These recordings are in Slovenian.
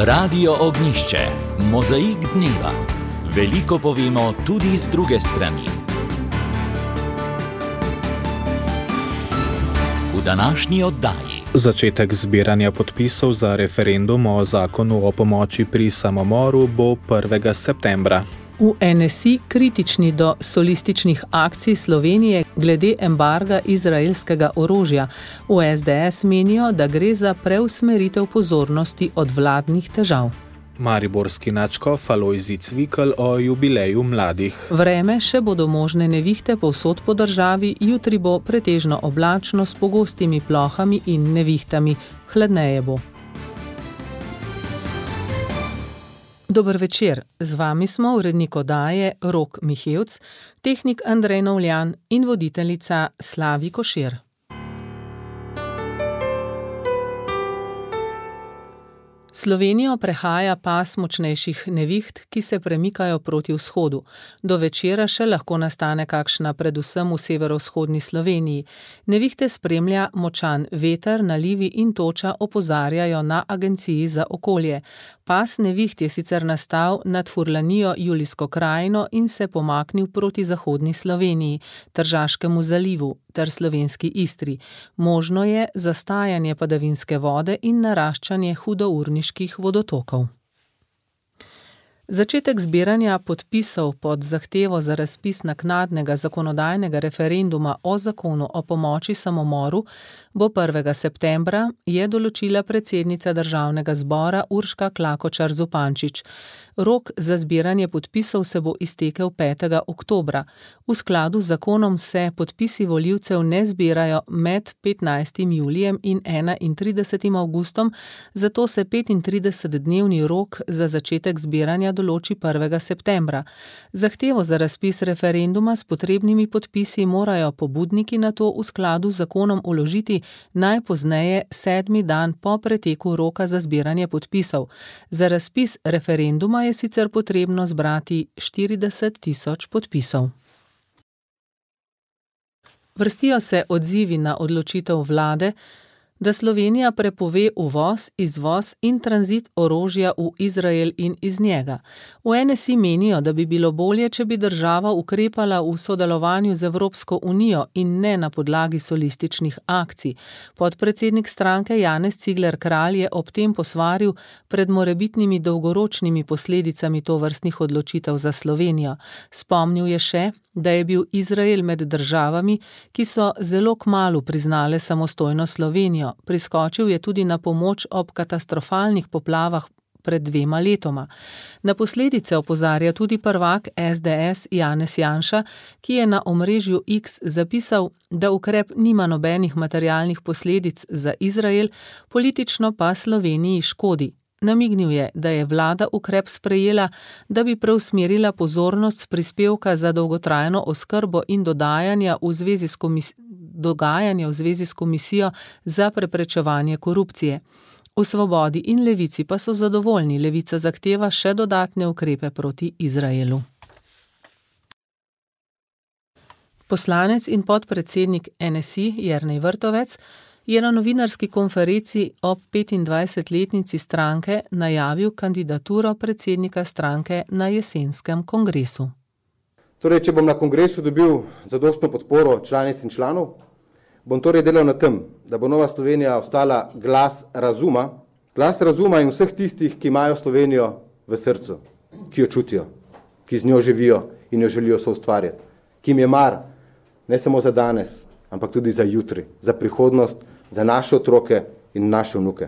Radio Ognjišče, mozaik dneva. Veliko povemo tudi z druge strani. V današnji oddaji. Začetek zbiranja podpisov za referendum o zakonu o pomoči pri samomoru bo 1. septembra. V NSI kritični do solističnih akcij Slovenije glede embarga izraelskega orožja. V SDS menijo, da gre za preusmeritev pozornosti od vladnih težav. Mariborski nadškof Alojzij Cvikl o jubileju mladih. Vreme še bodo možne nevihte povsod po državi, jutri bo pretežno oblačno s pogostimi plohami in nevihtami. Hladneje bo. Dober večer, z vami smo urednik oddaje Rok Mihevc, tehnik Andrej Novljan in voditeljica Slavi Košir. Slovenijo prehaja pas močnejših neviht, ki se premikajo proti vzhodu. Do večera še lahko nastane kakšna predvsem v severovzhodni Sloveniji. Nevihte spremlja močan veter, nalivi in toča, opozarjajo na Agenciji za okolje. Pas neviht je sicer nastal nad Furlanijo, Julijsko krajino in se pomaknil proti zahodni Sloveniji, Tržaškemu zalivu ter slovenski Istri. Možno je zastajanje padavinske vode in naraščanje hudourniških vodotokov. Začetek zbiranja podpisov pod zahtevo za razpis naknadnega zakonodajnega referenduma o zakonu o pomoči samomoru bo 1. septembra, je določila predsednica Državnega zbora Urška Klakočar Zupančič. Rok za zbiranje podpisov se bo iztekel 5. oktobra. V skladu z zakonom se podpisi volivcev ne zbirajo med 15. julijem in 31. avgustom, zato se 35-dnevni rok za začetek zbiranja določi 1. septembra. Zahtevo za razpis referenduma s potrebnimi podpisi morajo pobudniki nato v skladu z zakonom vložiti najpozneje 7. dan po preteku roka za zbiranje podpisov. Za razpis referenduma je sicer potrebno zbrati 40.000 podpisov. Vrstijo se odzivi na odločitev vlade, da Slovenija prepove uvoz, izvoz in tranzit orožja v Izrael in iz njega. V NSI menijo, da bi bilo bolje, če bi država ukrepala v sodelovanju z Evropsko unijo in ne na podlagi solističnih akcij. Podpredsednik stranke Janez Cigler Kralj je ob tem posvaril pred morebitnimi dolgoročnimi posledicami tovrstnih odločitev za Slovenijo. Spomnil je še, da je bil Izrael med državami, ki so zelo kmalu priznale samostojno Slovenijo. Priskočil je tudi na pomoč ob katastrofalnih poplavah pred 2 letoma. Na posledice opozarja tudi prvak SDS Janez Janša, ki je na omrežju X zapisal, da ukrep nima nobenih materialnih posledic za Izrael, politično pa Sloveniji škodi. Namignil je, da je vlada ukrep sprejela, da bi preusmerila pozornost s prispevka za dolgotrajno oskrbo in dogajanja v zvezi s Komisijo za preprečevanje korupcije. V Svobodi in Levici pa so zadovoljni, Levica zahteva še dodatne ukrepe proti Izraelu. Poslanec in podpredsednik NSI Jernej Vrtovec je na novinarski konferenci ob 25-letnici stranke najavil kandidaturo predsednika stranke na jesenskem kongresu. Torej, če bom na kongresu dobil zadostno podporo članic in članov, bom torej delal na tem, da bo Nova Slovenija ostala glas razuma in vseh tistih, ki imajo Slovenijo v srcu, ki jo čutijo, ki z njo živijo in jo želijo soustvarjati, ki jim je mar ne samo za danes, ampak tudi za jutri, za prihodnost, za naše otroke in naše vnuke.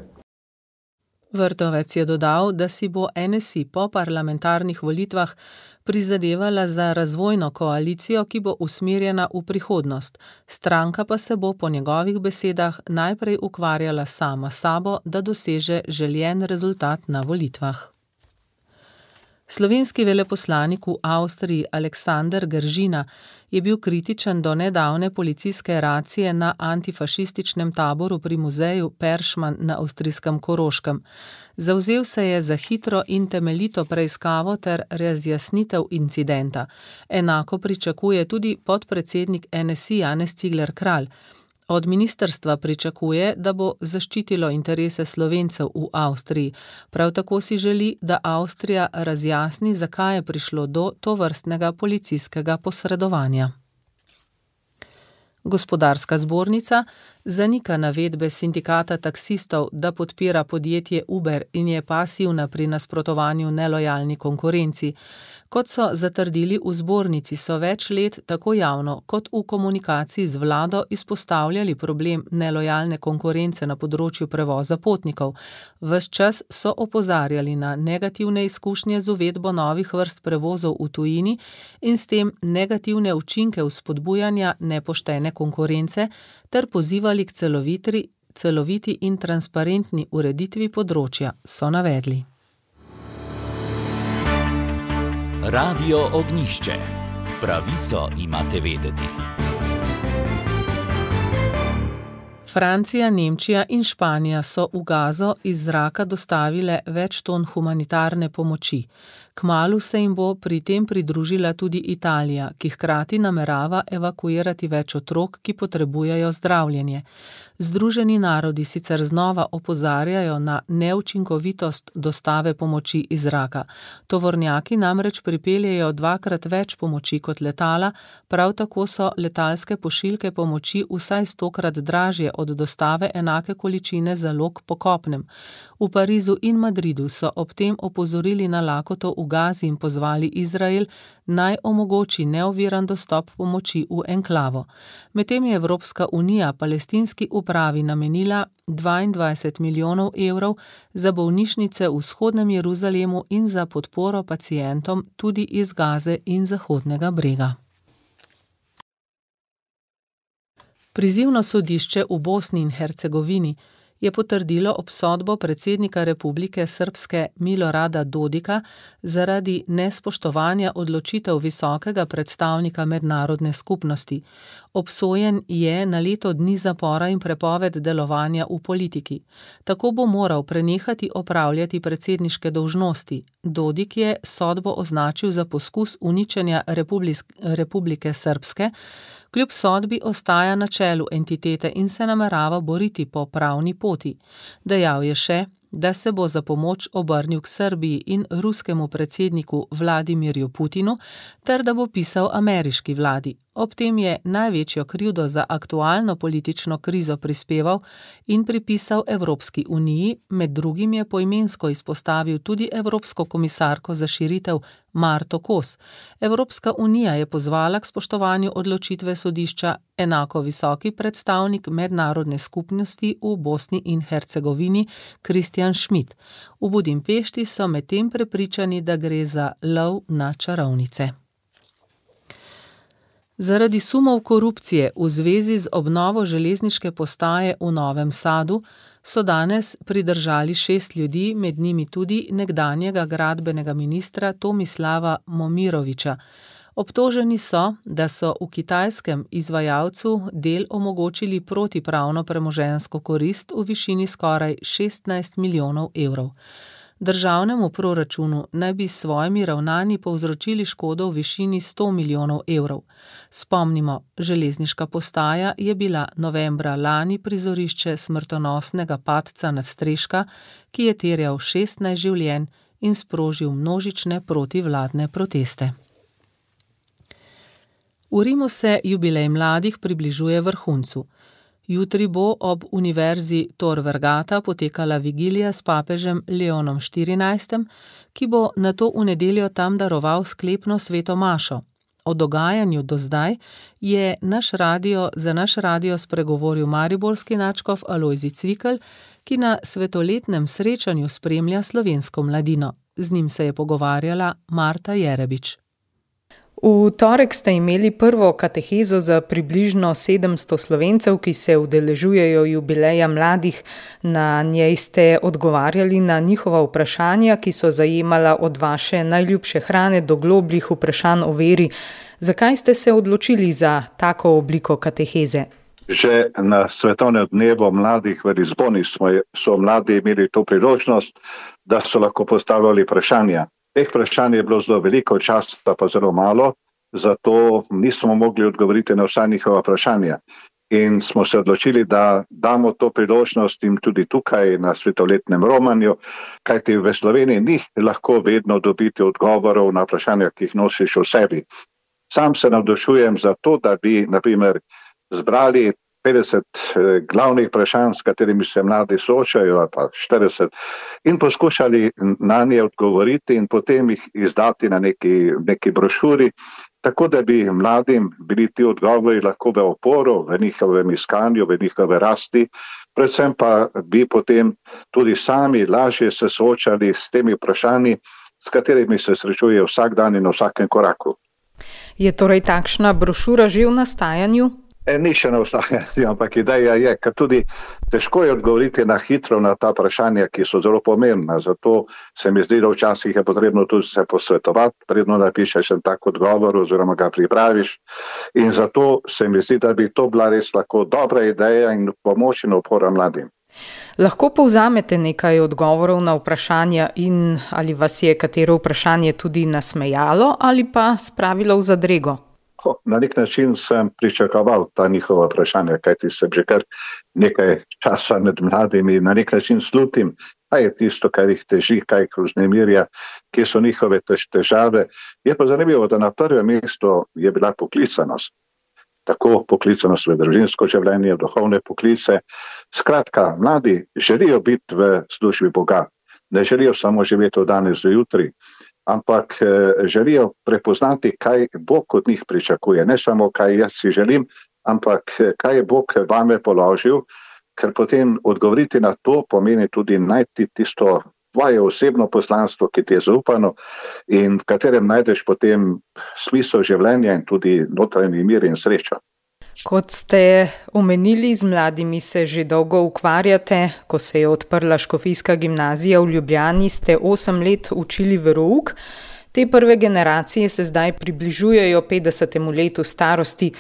Vrtovec je dodal, da si bo NSI po parlamentarnih volitvah prizadevala za razvojno koalicijo, ki bo usmerjena v prihodnost. Stranka pa se bo po njegovih besedah najprej ukvarjala sama s sabo, da doseže željen rezultat na volitvah. Slovenski veleposlanik v Avstriji Aleksander Gržina je bil kritičen do nedavne policijske racije na antifašističnem taboru pri muzeju Peršman na avstrijskem Koroškem. Zavzel se je za hitro in temeljito preiskavo ter razjasnitev incidenta. Enako pričakuje tudi podpredsednik NSI Janez Cigler Kralj. Od ministrstva pričakuje, da bo zaščitilo interese Slovencev v Avstriji. Prav tako si želi, da Avstrija razjasni, zakaj je prišlo do tovrstnega policijskega posredovanja. Gospodarska zbornica zanika navedbe sindikata taksistov, da podpira podjetje Uber in je pasivna pri nasprotovanju nelojalni konkurenci. Kot so zatrdili v zbornici, so več let tako javno kot v komunikaciji z vlado izpostavljali problem nelojalne konkurence na področju prevoza potnikov. Ves čas so opozarjali na negativne izkušnje z uvedbo novih vrst prevozov v tujini in s tem negativne učinke vzpodbujanja nepoštene konkurence ter pozivali k celoviti in transparentni ureditvi področja, so navedli. Radio Ognjišče. Pravico imate vedeti. Francija, Nemčija in Španija so v Gazo iz zraka dostavile več ton humanitarne pomoči. Kmalu se jim bo pri tem pridružila tudi Italija, ki hkrati namerava evakuirati več otrok, ki potrebujejo zdravljenje. Združeni narodi sicer znova opozarjajo na neučinkovitost dostave pomoči iz zraka. Tovornjaki namreč pripeljejo 2-krat več pomoči kot letala, prav tako so letalske pošiljke pomoči vsaj 100-krat dražje od dostave enake količine zalog po kopnem. V Parizu in Madridu so ob tem opozorili na lakoto v Gazi in pozvali Izrael, naj omogoči neoviran dostop pomoči v enklavo. Medtem je Evropska unija palestinski upravi namenila 22 milijonov evrov za bolnišnice v vzhodnem Jeruzalemu in za podporo pacientom tudi iz Gaze in Zahodnega brega. Prizivno sodišče v Bosni in Hercegovini je potrdilo obsodbo predsednika Republike Srpske Milorada Dodika zaradi nespoštovanja odločitev visokega predstavnika mednarodne skupnosti. Obsojen je na leto dni zapora in prepoved delovanja v politiki. Tako bo moral prenehati opravljati predsedniške dolžnosti. Dodik je sodbo označil za poskus uničenja Republike Srpske, kljub sodbi ostaja na čelu entitete in se namerava boriti po pravni poti. Dejal je še, da se bo za pomoč obrnil k Srbiji in ruskemu predsedniku Vladimirju Putinu, ter da bo pisal ameriški vladi. Ob tem je največjo krivdo za aktualno politično krizo prispeval in pripisal Evropski uniji, med drugim je poimensko izpostavil tudi Evropsko komisarko za širitev Marto Kos. Evropska unija je pozvala k spoštovanju odločitve sodišča enako visoki predstavnik mednarodne skupnosti v Bosni in Hercegovini Kristjan Schmidt. V Budimpešti so medtem prepričani, da gre za lov na čarovnice. Zaradi sumov korupcije v zvezi z obnovo železniške postaje v Novem Sadu so danes pridržali 6 ljudi, med njimi tudi nekdanjega gradbenega ministra Tomislava Momirovića. Obtoženi so, da so v kitajskem izvajalcu del omogočili protipravno premoženjsko korist v višini skoraj 16 milijonov evrov. Državnemu proračunu naj bi s svojimi ravnanji povzročili škodo v višini 100 milijonov evrov. Spomnimo, železniška postaja je bila novembra lani prizorišče smrtonosnega padca nadstreška, ki je terjal 16 življenj in sprožil množične protivladne proteste. V Rimu se jubilej mladih približuje vrhuncu. Jutri bo ob Univerzi Tor Vergata potekala vigilija s papežem Leonom XIV, ki bo nato v nedeljo tam daroval sklepno sveto mašo. O dogajanju do zdaj je za naš radio spregovoril mariborski nadškof Alojzij Cvikl, ki na svetoletnem srečanju spremlja slovensko mladino. Z njim se je pogovarjala Marta Jerebič. V torek ste imeli prvo katehezo za približno 700 Slovencev, ki se udeležujejo jubileja mladih. Na njej ste odgovarjali na njihova vprašanja, ki so zajemala od vaše najljubše hrane do globljih vprašanj o veri. Zakaj ste se odločili za tako obliko kateheze? Že na svetovnem dnevu mladih v Lizboni so mladi imeli to priložnost, da so lahko postavljali vprašanja. Teh vprašanj je bilo zelo veliko, časa pa zelo malo, zato nismo mogli odgovoriti na vsa njihova vprašanja. in smo se odločili, da damo to priložnost jim tudi tukaj na svetoletnem romanju, kajti v Sloveniji ni lahko vedno dobiti odgovorov na vprašanja, ki jih nosiš v sebi. Sam se navdušujem za to, da bi, na primer, zbrali 50 glavnih vprašanj, s katerimi se mladi soočajo, ali pa 40, in poskušali na nje odgovoriti in potem jih izdati na neki brošuri, tako da bi mladim bili ti odgovori lahko v oporo, v njihovem iskanju, v njihove rasti, predvsem pa bi potem tudi sami lažje se soočali s temi vprašanji, s katerimi se srečujejo vsak dan in na vsakem koraku. Je torej takšna brošura že v nastajanju? Ni še na vstajanju, ampak ideja je, ker tudi težko je odgovoriti na hitro na ta vprašanja, ki so zelo pomembna. Zato se mi zdi, da včasih je potrebno tudi se posvetovati, predno napišeš en tak odgovor oziroma ga pripraviš. In zato se mi zdi, da bi to bila res lahko dobra ideja in pomoč in opora mladim. Lahko povzamete nekaj odgovorov na vprašanja in ali vas je katero vprašanje tudi nasmejalo ali pa spravilo v zadrego? Na nek način sem pričakoval ta njihova vprašanja, kajti sem že kar nekaj časa med mladimi, na nek način slutim, kaj je tisto, kar jih teži, kaj jih vznemirja, kje so njihove težave. Je pa zanimivo, da na prvem mestu je bila poklicanost. Tako poklicanost v družinsko življenje, duhovne poklice. Skratka, mladi želijo biti v službi Boga, ne želijo samo živeti od danes do jutri, ampak želijo prepoznati, kaj Bog od njih pričakuje. Ne samo, kaj jaz si želim, ampak kaj je Bog vame položil, ker potem odgovoriti na to pomeni tudi najti tisto tvoje osebno poslanstvo, ki ti je zaupano in v katerem najdeš potem smisel življenja in tudi notranji mir in srečo. Kot ste omenili, z mladimi se že dolgo ukvarjate. Ko se je odprla Škofijska gimnazija v Ljubljani, ste 8 let učili verouk. Te prve generacije se zdaj približujejo 50. letu starosti.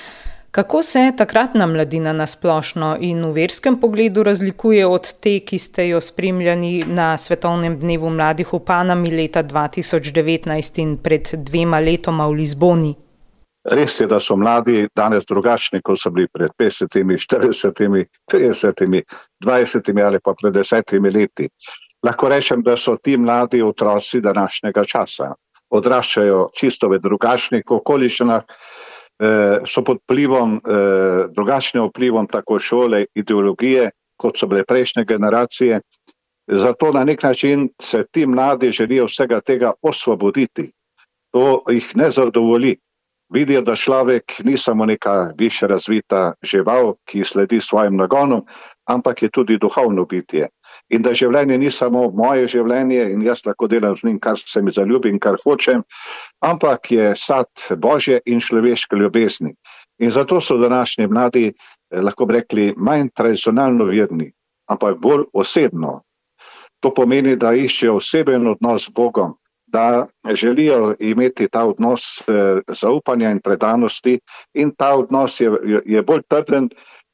Kako se takratna mladina nasplošno in v verskem pogledu razlikuje od te, ki ste jo spremljali na Svetovnem dnevu mladih v Panami leta 2019 in pred 2 letoma v Lizboni? Res je, da so mladi danes drugačni, kot so bili pred 50, 40, 30, 20 ali pa pred 10 leti. Lahko rečem, da so ti mladi otroci današnjega časa. Odraščajo čisto v drugačnih okoliščinah, so pod drugačnim vplivom tako šole, ideologije, kot so bile prejšnje generacije. Zato na nek način se ti mladi želijo vsega tega osvoboditi. To jih ne zadovolji. Vidijo, da človek ni samo neka više razvita žival, ki sledi svojim nagonom, ampak je tudi duhovno bitje. In da življenje ni samo moje življenje in jaz lahko delam z njim, kar se mi zaljubi in kar hočem, ampak je sad Božje in človeške ljubezni. In zato so današnji mladi, lahko bi rekli, manj tradicionalno verni, ampak bolj osebno. To pomeni, da iščejo oseben odnos z Bogom, da želijo imeti ta odnos zaupanja in predanosti in ta odnos je bolj trden,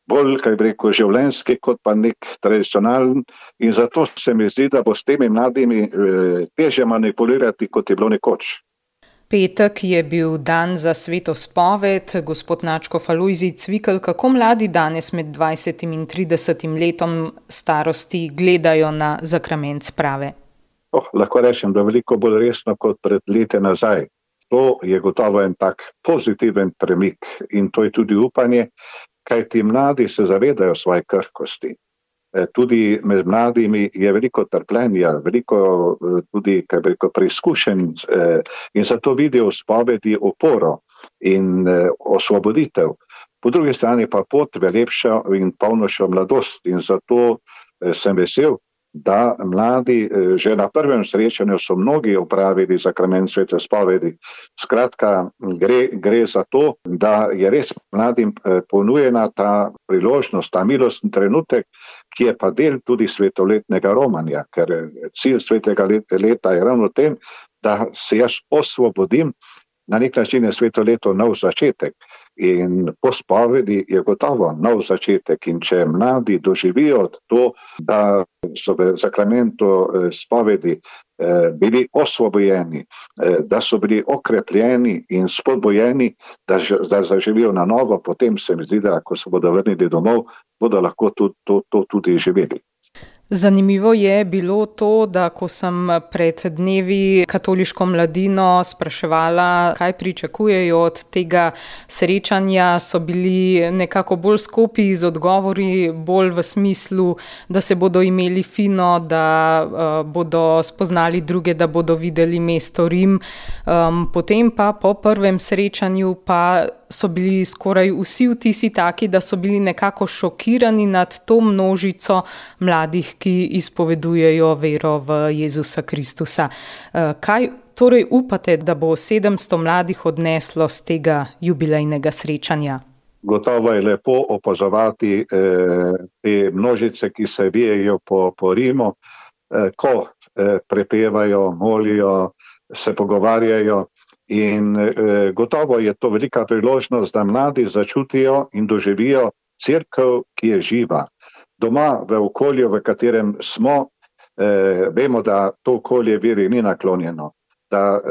bolj, kaj bi rekel, življenjski, kot pa nek tradicionalen in zato se mi zdi, da bo s temi mladimi težje manipulirati, kot je bilo nekoč. Petek je bil dan za sveto spoved. Gospod Nadškof Alojzij Cvikl, kako mladi danes med 20 in 30 letom starosti gledajo na zakrament sprave? Lahko rečem, da veliko bolj resno kot pred leti nazaj. To je gotovo en tak pozitiven premik in to je tudi upanje, kaj ti mladi se zavedajo svoje krhkosti. Tudi med mladimi je veliko trpljenja, veliko tudi, kaj bi rekel, preizkušenj in zato vidijo v spovedi oporo in osvoboditev. Po drugi strani pa pot v lepšo in polnošo mladost in zato sem vesel, da mladi že na prvem srečanju so mnogi opravili zakrament svete spovedi. Skratka, gre za to, da je res mladim ponujena ta priložnost, ta milostni trenutek, ki je pa del tudi svetoletnega romanja, ker cilj svetega leta je ravno tem, da se jaz osvobodim. Na nek način je sveto leto nov začetek in po spovedi je gotovo nov začetek in če mladi doživijo to, da so v zakramentu spovedi bili osvobojeni, da so bili okrepljeni in spodbojeni, da zaživijo na novo, potem se mi zdi, da ko se bodo vrnili domov, bodo lahko to tudi živeli. Zanimivo je bilo to, da ko sem pred dnevi katoliško mladino spraševala, kaj pričakujejo od tega srečanja, so bili nekako bolj skopi z odgovori, bolj v smislu, da se bodo imeli fino, da bodo spoznali druge, da bodo videli mesto Rim. Potem pa po prvem srečanju pa so bili skoraj vsi vtisi taki, da so bili nekako šokirani nad to množico mladih, ki izpovedujejo vero v Jezusa Kristusa. Kaj torej upate, da bo 700 mladih odneslo z tega jubilejnega srečanja? Gotovo je lepo opazovati te množice, ki se vijejo po Rimu, ko prepevajo, molijo, se pogovarjajo. In gotovo je to velika priložnost, da mladi začutijo in doživijo cerkev, ki je živa. Doma, v okolju, v katerem smo, vemo, da to okolje veri ni naklonjeno. Da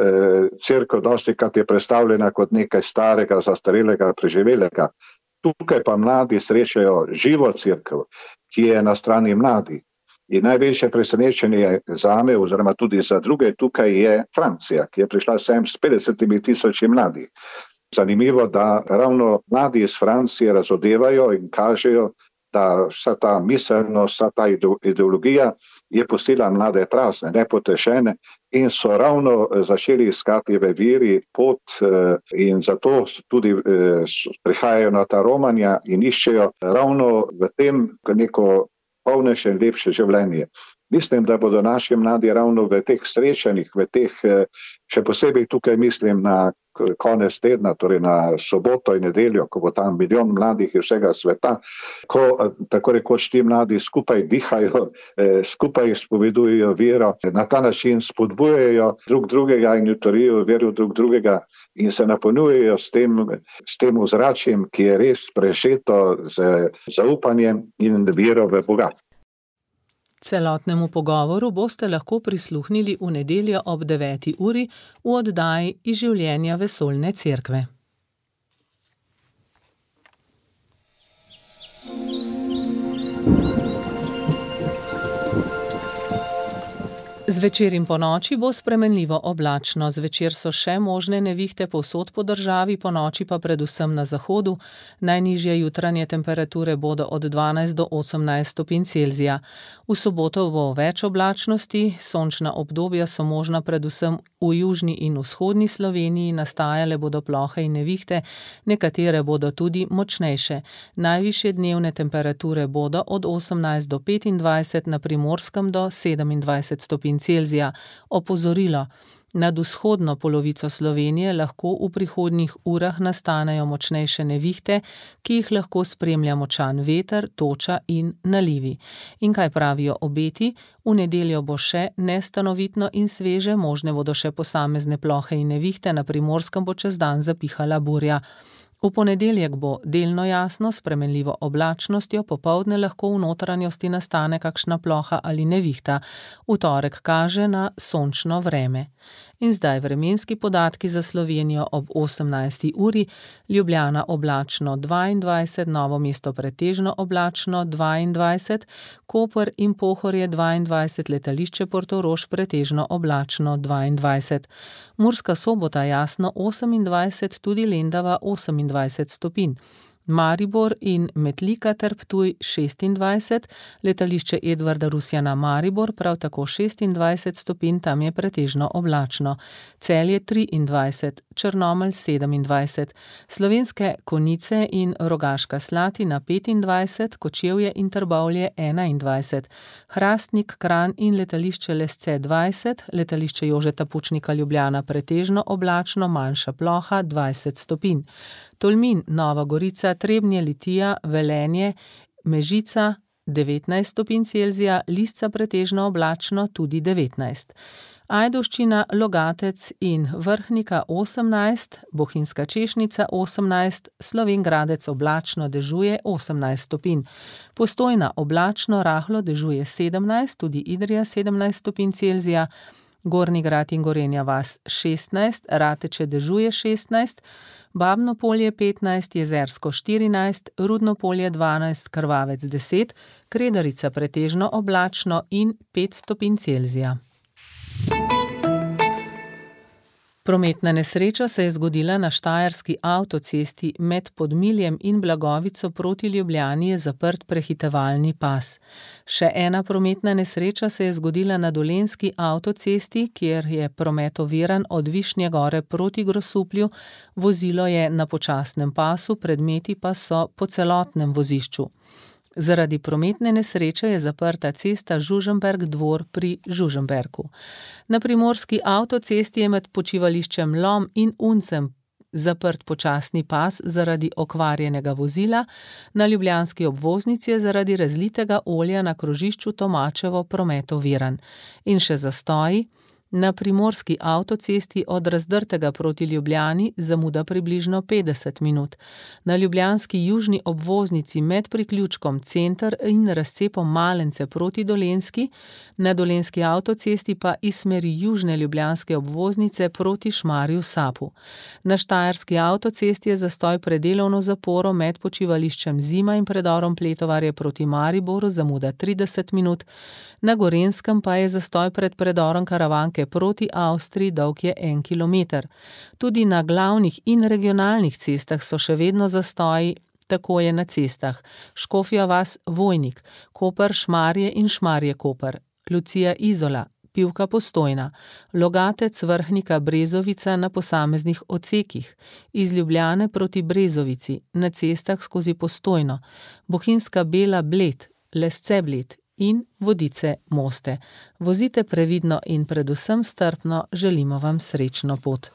cerkev dostikrat je predstavljena kot nekaj starega, zastarelega, preživelega. Tukaj pa mladi srečajo živo cerkev, ki je na strani mladih. In največje presenečenje zame, oziroma tudi za druge, tukaj je Francija, ki je prišla sem s 50,000 mladih. Zanimivo, da ravno mladi iz Francije razodevajo in kažejo, da vsa ta miselnost, vsa ta ideologija je pustila mlade prazne, nepotešene in so ravno začeli iskati v veri pot in zato tudi prihajajo na ta romanja in iščejo ravno v tem neko polnejše in lepše življenje. Mislim, da bodo naši mladi ravno v teh srečanjih, še posebej tukaj mislim na konec tedna, torej na soboto in nedeljo, ko bo tam milijon mladih iz vsega sveta, ko tako rekoč ti mladi skupaj dihajo, skupaj izpovedujejo vero, na ta način spodbujajo drug drugega in utrjujejo vero drug drugega in se napolnjujejo s tem ozračjem, ki je res prežeto z zaupanjem in vero v Boga. Celotnemu pogovoru boste lahko prisluhnili v nedeljo ob 9. uri v oddaji Iz življenja vesoljne cerkve. Zvečer in ponoči bo spremenljivo oblačno. Zvečer so še možne nevihte povsod po državi, ponoči pa predvsem na zahodu. Najnižje jutranje temperature bodo od 12 do 18 stopinj Celzija. V soboto bo več oblačnosti, sončna obdobja so možna predvsem v južni in vzhodni Sloveniji, nastajale bodo plohe in nevihte, nekatere bodo tudi močnejše. Najvišje dnevne temperature bodo od 18 do 25, na Primorskem do 27 stopinj Celzija. Opozorilo. Nad vzhodno polovico Slovenije lahko v prihodnjih urah nastanejo močnejše nevihte, ki jih lahko spremlja močan veter, toča in nalivi. In kaj pravijo obeti? V nedeljo bo še nestanovitno in sveže, možne bodo še posamezne plohe in nevihte, na Primorskem bo čez dan zapihala burja. V ponedeljek bo delno jasno, spremenljivo oblačnostjo, popoldne lahko v notranjosti nastane kakšna ploha ali nevihta. V torek kaže na sončno vreme. In zdaj vremenski podatki za Slovenijo ob 18. uri. Ljubljana oblačno 22, Novo mesto pretežno oblačno 22, Koper in Pohorje 22, letališče Portorož pretežno oblačno 22. Murska Sobota jasno 28, tudi Lendava 28 stopinj. Maribor in Metlika ter Ptuj 26, letališče Edvarda Rusjana Maribor prav tako 26 stopinj, tam je pretežno oblačno. Celje 23, Črnomelj 27, Slovenske Konjice in Rogaška Slatina 25, Kočevje in Trbovlje 21, Hrastnik, Kranj in letališče Lesce 20, letališče Jožeta Pučnika Ljubljana pretežno oblačno, manjša ploha 20 stopinj. Tolmin, Nova Gorica, Trebnje, Litija, Velenje, Mežica 19 stopinj Celzija, Lisca pretežno oblačno tudi 19. Ajdovščina, Logatec in Vrhnika 18, Bohinjska Češnica 18, Slovenj Gradec oblačno dežuje 18 stopinj. Postojna oblačno rahlo dežuje 17, tudi Idrija 17 stopinj Celzija. Gornji Grad in Gorenja vas 16, Rateče dežuje 16, Babno Polje 15, Jezersko 14, Rudno Polje 12, Krvavec 10, Kredarica pretežno oblačno in 5 stopinj Celzija. Prometna nesreča se je zgodila na štajerski avtocesti med Podmiljem in Blagovico proti Ljubljani je zaprt prehitevalni pas. Še ena prometna nesreča se je zgodila na dolenjski avtocesti, kjer je promet oviran od Višnje Gore proti Grosuplju, vozilo je na počasnem pasu, predmeti pa so po celotnem vozišču. Zaradi prometne nesreče je zaprta cesta Žužemberk-Dvor pri Žužemberku. Na primorski avtocesti je med počivališčem Lom in Uncem zaprt počasni pas zaradi okvarjenega vozila, na ljubljanski obvoznici je zaradi razlitega olja na krožišču Tomačevo promet oviran. In še zastoji. Na primorski avtocesti od Razdrtega proti Ljubljani zamuda približno 50 minut. Na ljubljanski južni obvoznici med priključkom Center in razcepom Malence proti Dolenjski, na dolenjski avtocesti pa iz smeri južne ljubljanske obvoznice proti Šmarju Sapu. Na štajerski avtocesti je zastoj pred delovno zaporo med počivališčem Zima in predorom Pletovarje proti Mariboru zamuda 30 minut, na Gorenjskem pa je zastoj pred predorom Karavanke proti Avstriji dolg je 1 kilometer. Tudi na glavnih in regionalnih cestah so še vedno zastoji, tako je na cestah Škofja vas Vojnik, Koper Šmarje in Šmarje Koper, Lucija Izola, Pivka Postojna, Logatec Vrhnika Brezovica na posameznih odsekih, iz Ljubljane proti Brezovici, na cestah skozi Postojno, Bohinjska Bela Bled, Lesce Bled in Vodice Moste. Vozite previdno in predvsem strpno, želimo vam srečno pot.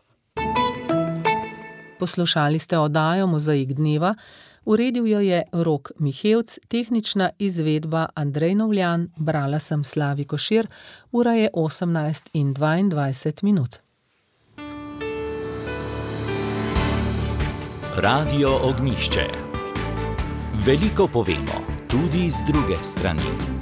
Poslušali ste oddajo Mozaik dneva, uredil jo je Rok Mihevc, tehnična izvedba Andrej Novljan, brala sem Slavi Košir, ura je 18:22. Radio Ognjišče. Veliko povemo, tudi z druge strani.